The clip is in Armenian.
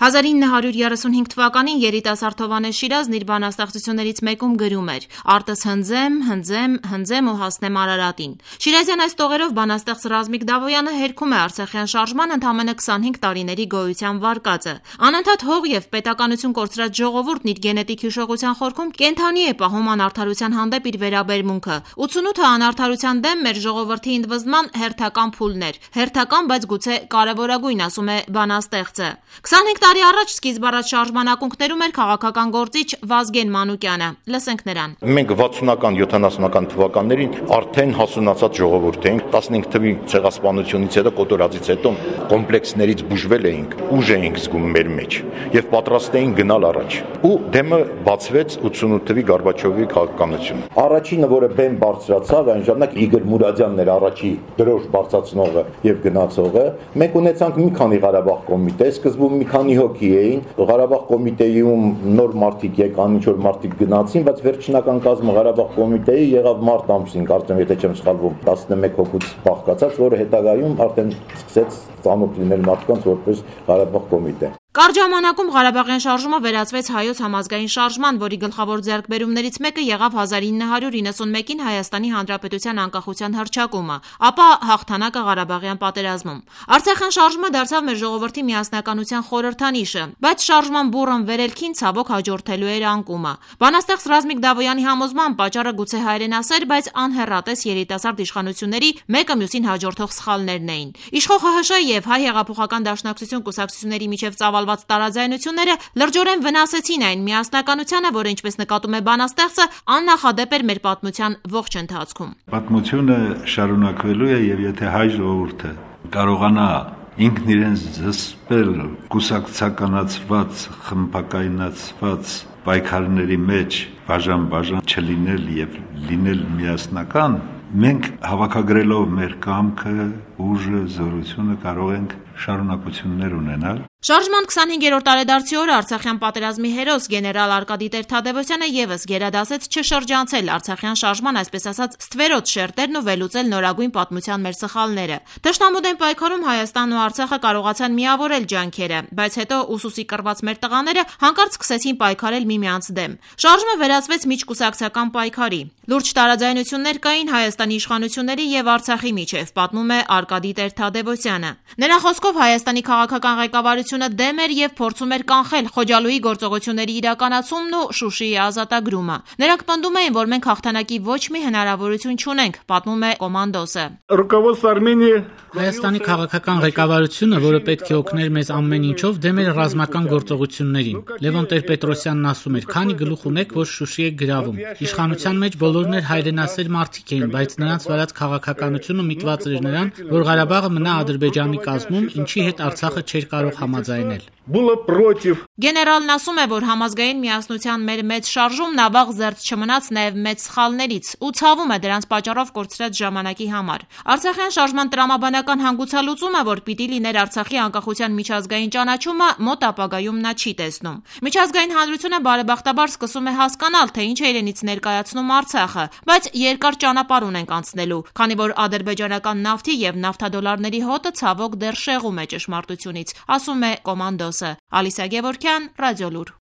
1935 թվականին երիտասարդ Հովհաննես Շիրազն իր բանաստեղծություններից մեկում գրում էր. «Արտս հնձեմ, հնձեմ, հնձեմ ու հասնեմ Արարատին»։ Շիրազյան այս տողերով բանաստեղծ Ռազմիկ Դավոյանը հերքում է արցախյան շարժման ընդամենը 25 տարիների գոյության վարկածը։ Անընդհատ հող եւ պետականություն կորցրած ժողովուրդն իր գենետիկ հիշողության խորքում կենդանի է պահում անարդարության հանդեպ իր վերաբերմունքը։ 88-ը անարդարության դեմ մեր ժողովրդի ընդվզման հերթական փուլն էր։ Հերթական, բայց գուցե կարևորագույն, ասում է բանաստեղծը։ 25 տարի առաջ սկիզբ առած շարժման ակունքներում էր քաղաքական գործիչ Վազգեն Մանուկյանը։ Լսենք նրան։ Մենք 60-ական, 70-ական թվականներին արդեն հասունացած ժողովուրդ էինք, 15 թվի ցեղասպանությունից հետո, կոտորածից հետո կոմպլեքսներից բուժվել էինք, ուժ էինք զգում մեր մեջ եւ պատրաստ էինք գնալ առաջ։ Ու դեմը բացվեց 88 թվի Գորբաչովի քաղաքականությունը։ Առաջինը, որը բեմ բարձրացավ, այն ժամանակ Իգոր Մուրադյանն էր առաջի դրոշ բարձրացնողը եւ գնացողը։ Մենք ունեցանք մի քանի Ղարաբաղ կոմիտե, սկզբում մի քանի հոգի էին, Ղարաբաղ կոմիտեում նոր մարդիկ եկան, ինչ որ մարդիկ գնացին, բայց վերջնական կազմը Ղարաբաղ կոմիտեի եղավ մարտ ամսին, կարծեմ, եթե չեմ սխալվում, 11 հոգուց բաղկացած, որը հետագայում արդեն սկսեց ծանոթ լինել մարդկանց որպես Ղարաբաղ կոմիտե։ Կարճ ժամանակում Ղարաբաղյան շարժումը վերածվեց հայոց համազգային շարժման, որի գլխավոր ձեռքբերումներից մեկը եղավ 1991-ին Հայաստանի Հանրապետության անկախության հռչակումը, ապա հաղթանակը Ղարաբաղյան պատերազմում։ Արցախյան շարժումը դարձավ մեր ժողովրդի միասնականության խորհրդանիշը, բայց շարժման բուռն վերելքին ցավոք հաջորդելու էր անկումը։ Բանաստեղծ Ռազմիկ Դավոյանի համոզմամբ պատճառը գուցե հայրենասեր, բայց անհեռատես երիտասարդ իշխանությունների մեկը մյուսին հաջորդող սխալներն էին։ Իշխող ՀՀՇ եւ Հայ հեղափոխական դաշնակցություն կուսակցությունների միջև ծավալված տարաձայնությունները լրջորեն վնասեցին այն միասնականությանը, որը, ինչպես նկատում է բանաստեղծը, աննախադեպ էր մեր պատմության ողջ ընթացքում։ Պատմությունը շարունակվելու է եւ եթե հայ ժողովուրդը կարողանա ինքն իրեն զսպել կուսակցականացված, խմբակայնացված պայքարների մեջ բաժան չլինել եւ լինել միասնական, մենք հավաքագրելով մեր կամքը, ուժը, զորությունը կարող ենք շարունակություններ ունենալ։ Շարժման 25-րդ տարեդարձի օրը Արցախյան պատերազմի հերոս գեներալ Արկադի Տեր-Թադևոսյանը եւս գերադասեց չշրջանցել Արցախյան շարժման, այսպես ասած, ստվերոտ շերտերն ու վերլուծել նորագույն պատմության մեր սխալները։ Թշնամու դեմ պայքարում Հայաստանն ու Արցախը կարողացան միավորել ջանքերը, բայց հետո ուսուսի կռված մեր տղաները հանկարծ սկսեցին պայքարել միմյանց դեմ։ Շարժումը վերածվեց միջկուսակցական պայքարի։ Լուրջ տարաձայնություններ կային Հայաստանի իշխանությունների եւ Արցախի միջև, պատմում է Արկադի Տեր-Թադևոսյանը։ Նրա խոսքով Հայաստանի քաղաքական ղեկավարությունը դեմ էր եւ փորձում էր կանխել Խոջալույի գործողությունների իրականացումն ու Շուշիի ազատագրումը։ Նրանք պնդում էին, որ մենք հաղթանակի ոչ մի հնարավորություն չունենք, պատմում է կոմանդոսը։ Հայաստանի քաղաքական ղեկավարությունը, որը պետք է օգներ մեզ ամեն ինչով, դեմ էր ռազմական գործողություններին։ Լևոն Տեր-Պետրոսյանն ասում էր. «Քանի գլուխ ունեք, որ Շուշի եք գրավում»։ Իշխանության մեջ բոլորն էր հայրենասեր մարդիկ էին, բայց նրանց վարած քաղաքականությունը միտված էր նրան, որ Ղարաբաղը մնա Ադրբեջանի կազմում, ինչի հետ Արցախը չէր կարող համաձայնել։ Գեներալն ասում է, որ համազգային միասնության մեր մեծ շարժումն ավաղ զերծ չմնաց նաև մեծ սխալներից ու ցավում է դրանց պատճառով կորցրած ժամանակի համար։ Արցախյան շարժման տրամաբանական հանգուցալուծումը, որ պիտի լիներ Արցախի անկախության միջազգային ճանաչումը, մոտ ապագայում նա չի տեսնում։ Միջազգային հանրությունը բարեբախտաբար սկսում է հասկանալ, թե ինչ է իրենից ներկայացնում Արցախը, բայց երկար ճանապարհ ունենք անցնելու, քանի որ ադրբեջանական նավթի եւ նավթադոլարների հոտը ցավոք դեռ շեղում է ճշմարտությունից, ասում է կոմանդոսը։ Ալիսա Գևորգյան, Ռադիոլուր։